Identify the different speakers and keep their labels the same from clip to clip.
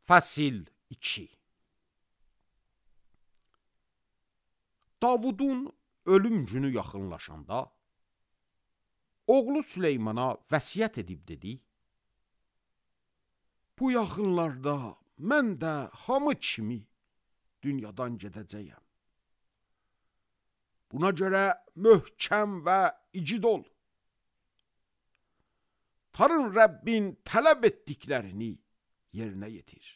Speaker 1: Fəsil 2. Davudun ölüm günü yaxınlaşanda oğlu Süleymana vəsiyyət edib dedi: bu yaxınlarda mən də hamı kimi dünyadan gedəcəyəm. Buna görə möhkəm və igid ol. Tanrı Rəbbin tələb etdiklərini yerinə yetir.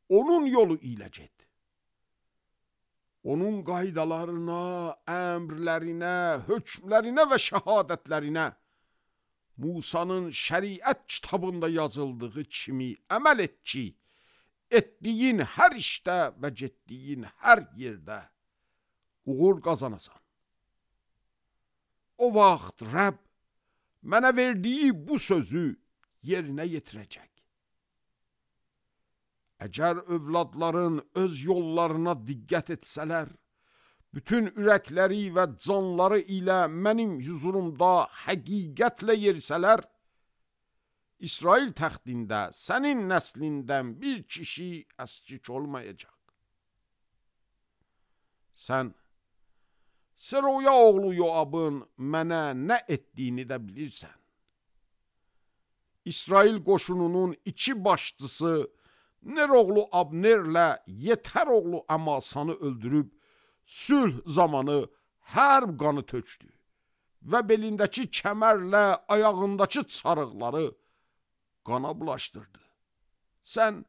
Speaker 1: Onun yolu ilə get. Onun qaydalarına, əmrlərinə, hökmlərinə və şəhadətlərinə Musanın şəriət kitabında yazıldığı kimi əməl et ki, etdiyin hər işdə və getdiyin hər yerdə uğur qazanasan. O vaxt Rəbb mənə verdiyi bu sözü yerinə yetirəcək. Əgər övladların öz yollarına diqqət etsələr, bütün ürəkləri və canları ilə mənim huzurumda həqiqətlə yerisələr, İsrail təxtində sənin nəslindən bir kişi əskik olmayacaq. Sən Seroya oğlu Yoabın mənə nə etdiyini də bilirsən. İsrail qoşununun 2 başçısı Ner oğlu Abnerlə Yetər oğlu Əmasanı öldürüb, sülh zamanı hər qanı tökdü və belindəki kəmərlə ayağındakı çarıqları qana bulaşdırdı. Sən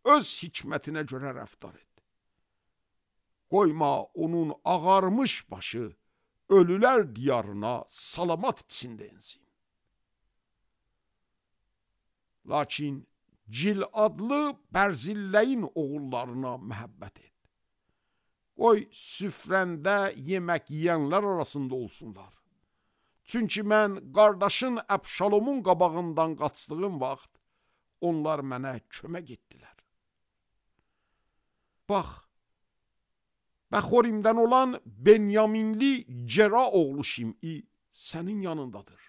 Speaker 1: öz hikmətinə görə rəftar et. Qoyma onun ağarmış başı ölülər diyarına salamat içində ensin. Lakin Cil adlı Bərzilləyin oğullarına məhəbbət et. Qoy süfrəndə yemək yiyənlər arasında olsunlar. Çünki mən qardaşın Əbşalomun qabağından qaçdığım vaxt, onlar mənə kömək etdilər. Bax, Bəxorimdən olan Benyaminli Cera oğlu Şim'i sənin yanındadır.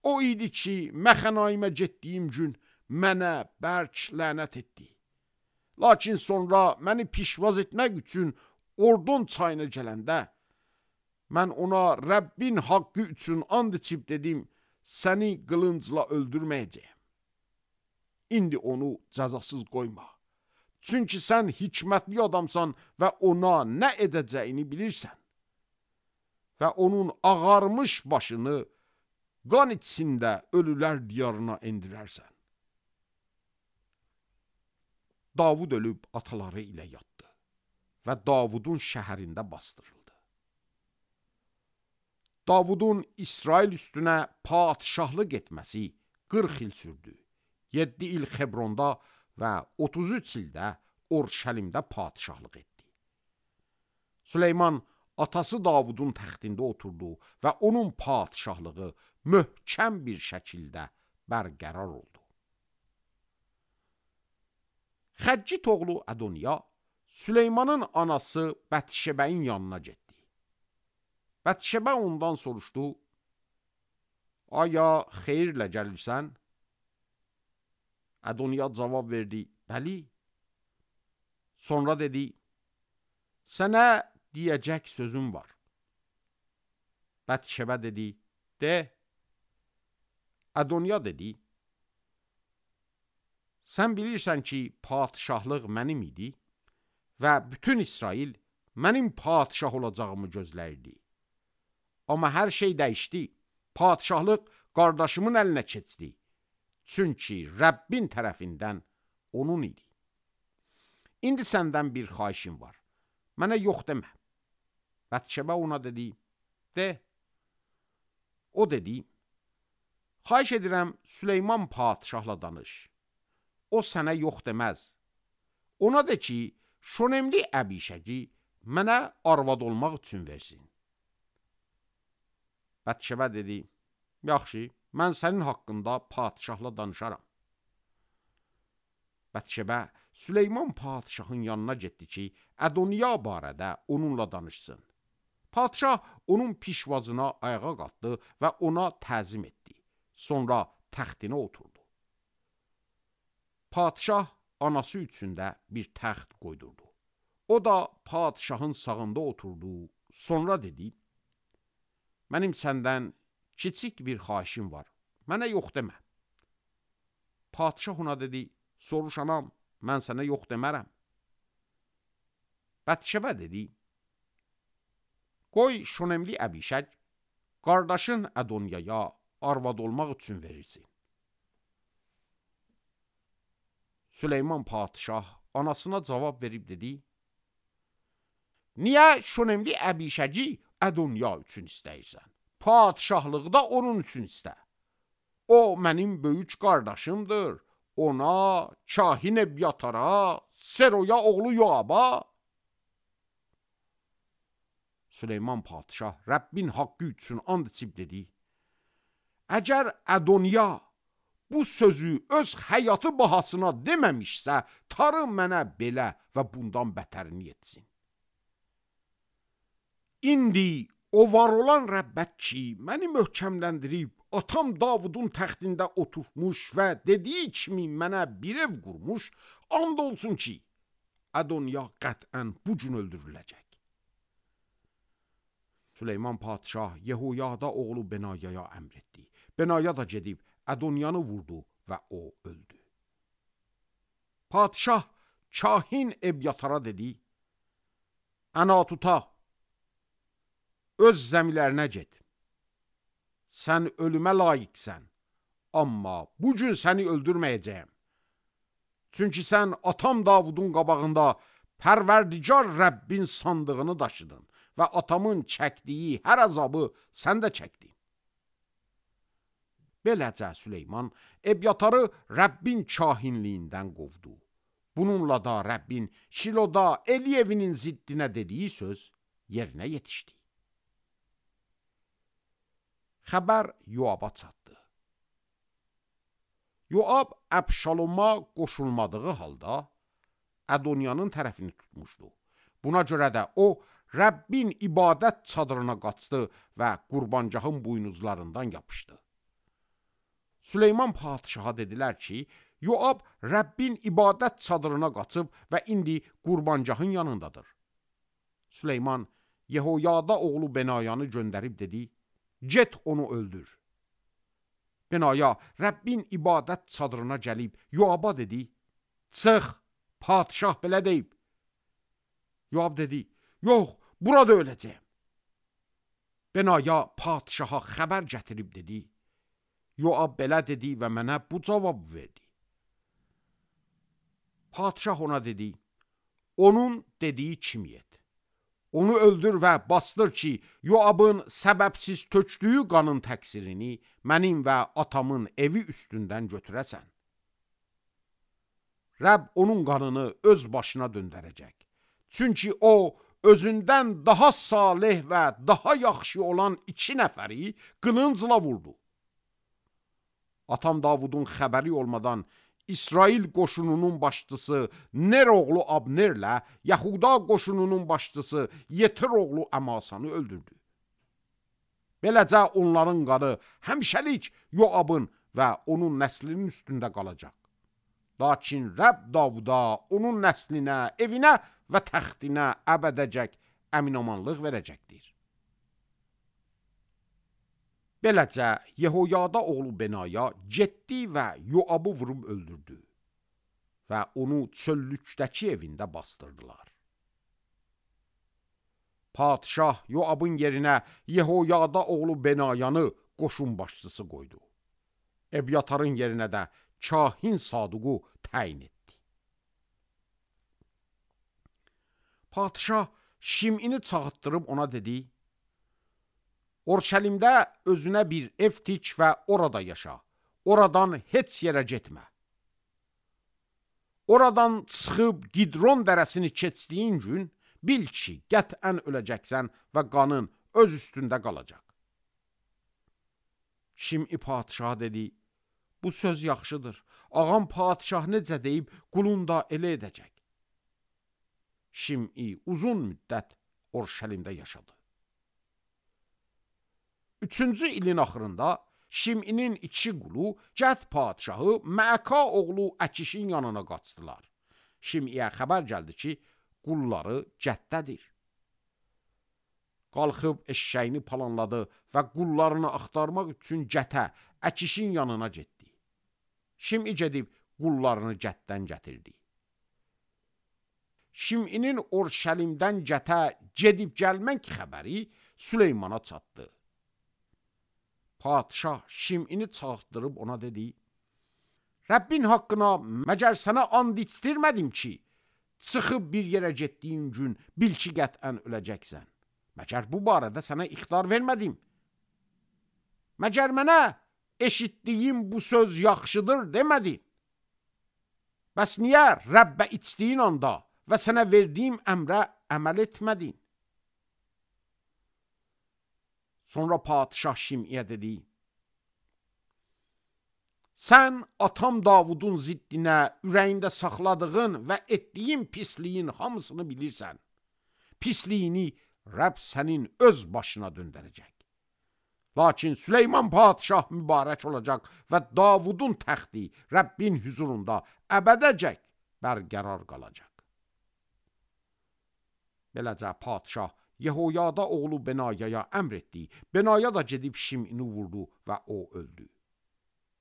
Speaker 1: O idi ki, Məxənaimə getdiyim gün mənə bərk lənət etdi. Lakin sonra məni pişvaz etmək üçün Ordon çayına gələndə, mən ona Rəbbin haqqı üçün and içib dedim, səni qılıncla öldürməyəcəyəm. İndi onu cəzasız qoyma. Çünki sən hikmətli adamsan və ona nə edəcəyini bilirsən. Və onun ağarmış başını qan içində ölülər diyarına endirərsən. Davud ölüb ataları ilə yatdı və Davudun şəhərində bastırıldı. Davudun İsrail üstünə padişahlıq etməsi 40 il sürdü. 7 il Xebronda və 33 ildə Orşəlimdə padişahlıq etdi. Süleyman atası Davudun təxtində oturdu və onun padişahlığı möhkəm bir şəkildə bərqərar oldu. Xəccit oğlu Ədoniya Süleymanın anası Bətşebəyin yanına getdi. Bətşebə ondan soruşdu: aya xeyirlə gəlirsən? Ədoniya cavab verdi: bəli. Sonra dedi: sənə deyəcək sözüm var. Bətşebə dedi: de. Ədoniya dedi: sən bilirsən ki, padişahlıq mənim idi və bütün İsrail mənim padişah olacağımı gözləyirdi. Amma hər şey dəyişdi. Padişahlıq qardaşımın əlinə keçdi. Çünki Rəbbin tərəfindən onun idi. İndi səndən bir xahişim var. Mənə yox demə. Bətşebə ona dedi: de. O dedi: xahiş edirəm, Süleyman padişahla danış. O sənə yox deməz. Ona de ki, Şonemli Əbişəgi mənə arvad olmaq üçün versin. Bətşebə dedi: yaxşı, mən sənin haqqında padişahla danışaram. Bətşebə Süleyman padişahın yanına getdi ki, Ədoniya barədə onunla danışsın. Padişah onun pişvazına ayağa qalxdı və ona təzim etdi. Sonra təxtinə oturdu. Padişah anası üçün də bir təxt qoydurdu. O da padişahın sağında oturdu. Sonra dedi, mənim səndən kiçik bir xahişim var. Mənə yox demə. Padişah ona dedi, soruş anam, mən sənə yox demərəm. Bətşəbə dedi, qoy Şönemli Əbişək qardaşın Ədonyaya arvad olmaq üçün verirsin. Süleyman padişah anasına cavab verib dedi, niyə Şönemli Əbişəci Ədonya üçün istəyirsən? Padişahlıqda onun üçün istə. O mənim böyük qardaşımdır. Ona, Kahin Ebyatara, Seroya oğlu Yoaba. Süleyman padişah Rəbbin haqqı üçün and içib dedi, əgər Ədonya bu sözü öz həyatı bahasına deməmişsə, tarı mənə belə və bundan bətərini etsin. İndi o var olan Rəbbət ki, məni möhkəmləndirib, atam Davudun təxtində oturmuş və dediyi kimi mənə bir ev qurmuş, and olsun ki, Ədonya qətən bu gün öldürüləcək. Süleyman padişah Yehoyada oğlu Benayaya əmr etdi. Benaya da gedib Ədonyanı vurdu və o öldü. Padişah Kahin Ebyatara dedi, Ənatuta, öz zəmilərinə get. Sən ölümə layiqsən, amma bu gün səni öldürməyəcəyəm. Çünki sən atam Davudun qabağında Pərverdigar Rəbbin sandığını daşıdın və atamın çəkdiyi hər əzabı sən də çəkdin. Beləcə Süleyman Ebyatarı Rəbbin kahinliyindən qovdu. Bununla da Rəbbin Şiloda Eliyevinin ziddinə dediyi söz yerinə yetişdi. Xəbər Yoaba çatdı. Yoab Əbşaloma qoşulmadığı halda Ədonyanın tərəfini tutmuşdu. Buna görə də o, Rəbbin ibadət çadırına qaçdı və qurbancağın buynuzlarından yapışdı. Süleyman padişaha dedilər ki, Yoab Rəbbin ibadət çadırına qaçıb və indi qurbancağın yanındadır. Süleyman Yehoyada oğlu Benayanı göndərib dedi, get onu öldür. Benaya Rəbbin ibadət çadırına gəlib Yoaba dedi, çıx, padişah belə deyib. Yoab dedi, yox, burada öləcəyəm. Benaya padişaha xəbər gətirib dedi, Yoab belə dedi və mənə bu cavab verdi. Padişah ona dedi, onun dediyi kimi et. Onu öldür və bastır ki, Yoabın səbəbsiz tökdüyü qanın təqsirini mənim və atamın evi üstündən götürəsən. Rəbb onun qanını öz başına döndərəcək. Çünki o, özündən daha salih və daha yaxşı olan 2 nəfəri qılıncla vurdu. Atam Davudun xəbəri olmadan İsrail qoşununun başçısı Ner oğlu Abnerlə Yahuda qoşununun başçısı Yetir oğlu Əmasanı öldürdü. Beləcə onların qanı həmişəlik Yoabın və onun nəslinin üstündə qalacaq. Lakin Rəbb Davuda, onun nəslinə, evinə və təxtinə əbədəcək əminamanlıq verəcəkdir. Beləcə, Yehoyada oğlu Benaya getdi və Yoabı vurub öldürdü və onu çöllükdəki evində bastırdılar. Padişah Yoabın yerinə Yehoyada oğlu Benayanı qoşun başçısı qoydu. Ebyatarın yerinə də Kahin Saduqu təyin etdi. Padişah Şimini çağıtdırıb ona dedi, Orşəlimdə özünə bir ev tik və orada yaşa. Oradan heç yerə getmə. Oradan çıxıb Gidron dərəsini keçdiyin gün, bil ki, qətən öləcəksən və qanın öz üstündə qalacaq. Şimdi padişah dedi, bu söz yaxşıdır. Ağam padişah necə deyib, qulun da elə edəcək. Şimdi uzun müddət Orşəlimdə yaşadı. 3-cü ilin axırında Şiminin iki qulu Cəd padşahı Məka oğlu Əkişin yanına qaçdılar. Şimiyə xəbər gəldi ki, qulları Cəddədir. Qalxıb eşşəyini palanladı və qullarını axtarmaq üçün Cətə, Əkişin yanına getdi. Şimi gedib qullarını Cəddən gətirdi. Şiminin Orşəlimdən Cətə gedib gəlmək xəbəri Süleymana çatdı. Padşah Şimini çağırdırıb ona dedi: Rəbbin haqqına məgər sənə and içdirmədim ki, çıxıb bir yerə getdiyin gün bil ki, qətən öləcəksən. Məgər bu barədə sənə ixtar vermədim. Məgər mənə eşitdiyim bu söz yaxşıdır demədin. Bəs niyə Rəbbə içdiyin anda və sənə verdiyim əmrə əməl etmədin? Sonra padşah Şimiyə dedi: Sən atam Davudun ziddinə ürəyində saxladığın və etdiyin pisliyin hamısını bilirsən. Pisliyini Rəbb sənin öz başına döndərəcək. Lakin Süleyman padşah mübarək olacaq və Davudun təxti Rəbbin huzurunda əbədəcək bərqərar qalacaq. Beləcə padşah Yehoyada oğlu Benayaya əmr etdi. Benaya da gedib Şimini vurdu və o öldü.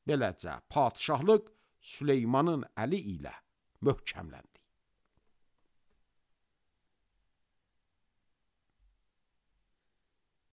Speaker 1: Beləcə padşahlıq Süleymanın əli ilə möhkəmləndi.